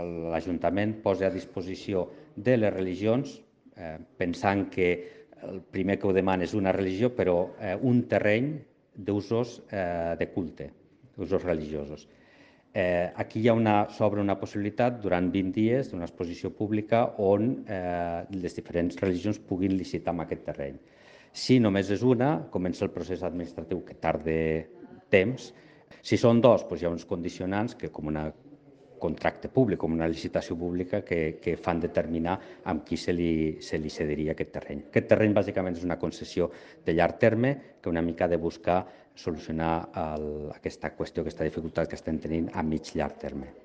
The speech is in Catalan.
l'Ajuntament posa a disposició de les religions, pensant que el primer que ho demana és una religió, però un terreny d'usos de culte, d'usos religiosos. Aquí s'obre una possibilitat durant 20 dies d'una exposició pública on les diferents religions puguin licitar amb aquest terreny. Si només és una, comença el procés administratiu que tarda temps. Si són dos, doncs hi ha uns condicionants que, com un contracte públic, com una licitació pública, que fan determinar amb qui se li cediria aquest terreny. Aquest terreny bàsicament és una concessió de llarg terme que una mica ha de buscar solucionar aquesta qüestió, aquesta dificultat que estem tenint a mig llarg terme.